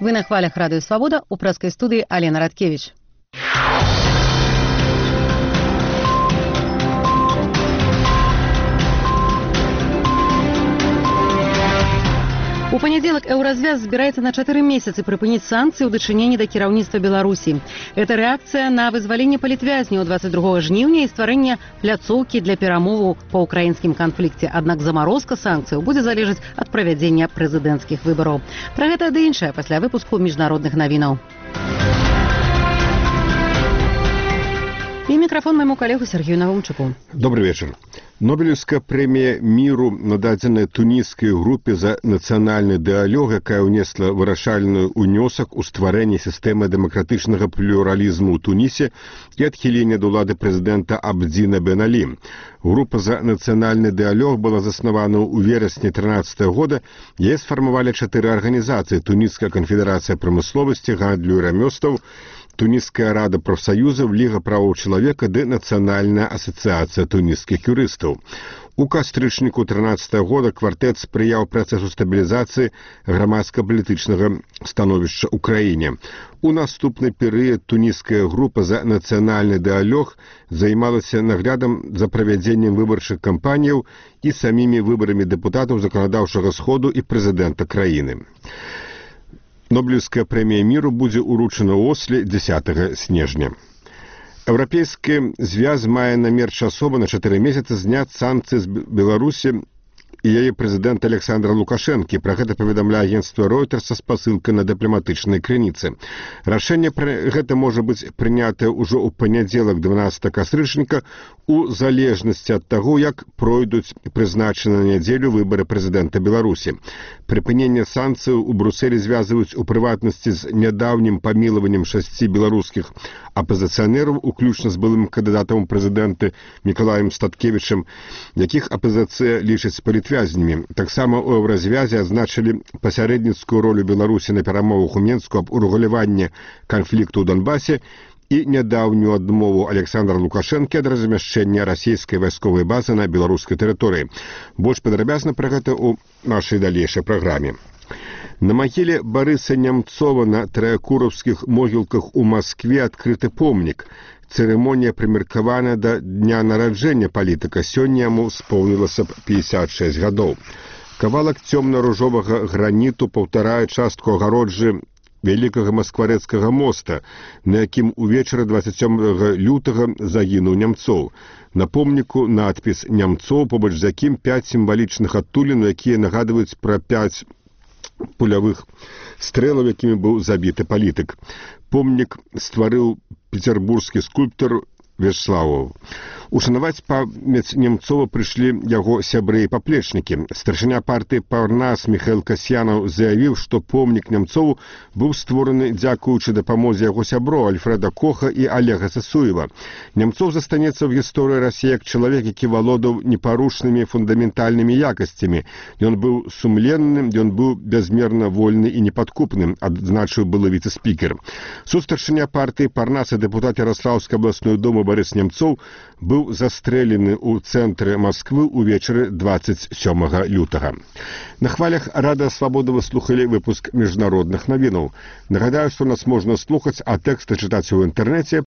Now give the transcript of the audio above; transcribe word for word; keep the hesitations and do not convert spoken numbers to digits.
Вы на хвалях Радыё Свабода, у прэскай студыі Алена Радкевіч. У панядзелак Еўразвяз збіраецца на чатыры месяцы прыпыніць санкцыі ў дачыненні да кіраўніцтва Беларусі. Это рэакцыя на вызваленне палітвязняў дваццаць другога жніўня і стварэнне пляцоўкі для перамоваў па ўкраінскім канфлікце. Аднак замарозка санкцыяў будзе залежаць ад правядзення прэзідэнцкіх выбараў. Пра гэта ды іншае пасля выпуску міжнародных навінаў. І мікрафон майму калегу Сергею Навумчуку. Добрый вечер. Нобелевская премия миру нададзеная тунісскай групе за нацыянальны дыялог, якая ўнесла вырашальны ўнёсак у стварэнне сістэмы дэмакратычнага плюралізму ў Тунісе і адхілення ад улады прэзідэнта Абдзіна Бен Алі. Група за нацыянальны дыялог была заснавана ў верасні трынаццатага года. Яе сфармавалі чатыры арганізацыі: Туніская канфедэрацыя прамысловасці, гандлю і рамёстваў, Тунісская рада профсоюзов, Лига правоў чалавека ды Нацыянальная асацыяцыя тунісскіх юрыстаў. У кастрычніку трынаццатага года квартэт спрыяў працэсу стабілізацыі грамадска-палітычнага становішча ў краіне. У наступны перыяд тунісская група за нацыянальны дыялог займалася наглядам за правядзеннем выбарчых кампаніяў і самімі выбарамі дэпутатаў заканадаўчага сходу і прэзідэнта краіны. Нобелевская премия миру будзе уручана ў Осле дзесятага снежня. Еўрапейскі звяз мае намер часова на чатыры месяцы зняць санкцыі з Беларусі і яе прэзідэнт Александр Лукашэнкі. Пра гэта паведамляе агенцтва Reuters са спасылкай на дыпламатычнай крыніцы. Рашэнне пра гэта можа быць прынятае ўжо ў панядзелак дванаццатага кастрычніка у залежнасці ад таго, як пройдуць прызначаны на нядзелю выбары прэзідэнта Беларусі. Прыпыненне санкцыяў у Брусэлі звязваюць у прыватнасці з нядаўнім памілаваннем шасці беларускіх апазіцыянераў, уключна з былым кандыдатам у прэзідэнты Мікалаем Статкевічам, якіх апазіцыя лічыць палітвязнямі. Таксама ў Еўразвязе адзначылі пасярэдніцкую ролю Беларусі на перамовах у Менску аб урэгуляванні канфлікту ў Донбасе і нядаўнюю адмову Александра Лукашэнкі ад размяшчэння расійскай вайсковай базы на беларускай тэрыторыі. Больш падрабязна пра гэта ў нашай далейшай праграме. На магіле Барыса Нямцова на траякураўскіх могілках у Маскве адкрыты помнік. Цырымонія прымеркавана да дня нараджэння палітыка. Сёння яму споўнілася б пятьдесят шесть гадоў. Кавалак цёмна-ружовага граніту паўтарае частку агароджы вялікага маскварэцкага моста, на якім увечары дваццаць сёмага лютага загінуў Нямцоў. На помніку надпіс «Нямцоў», побач з якім пяць сімвалічных адтулін, якія нагадваюць пра пяць пулявых стрэлаў, якімі быў забіты палітык. Помнік стварыў пецярбургскі скульптар Вячеславаў. Ушанаваць памяць Нямцова прыйшлі яго сябры і паплечнікі. Старшыня партыі Парнас Міхаіл Касьянаў заявіў, што помнік Нямцову быў створаны дзякуючы дапамозе яго сяброў Альфрэда Коха і Олега Сасуева. Нямцов застанецца ў гісторыі Расіі як чалавек, які валодаў непарушнымі фундаментальнымі якасцямі. Ён быў сумленным, ён быў бязмерна вольны і непадкупным, адзначыў былы віцэ-спікер. Сустаршыня партыі Парнас і дэпутат Ярослаўскай абласной думы Барыс Нямцоў быў застрэлены ў цэнтры Масквы ўвечары дваццаць сёмага лютага. На хвалях Радыё Свабода вы слухалі выпуск міжнародных навінаў. Нагадаю, што нас можна слухаць, а тэксты чытаць у інтэрнэце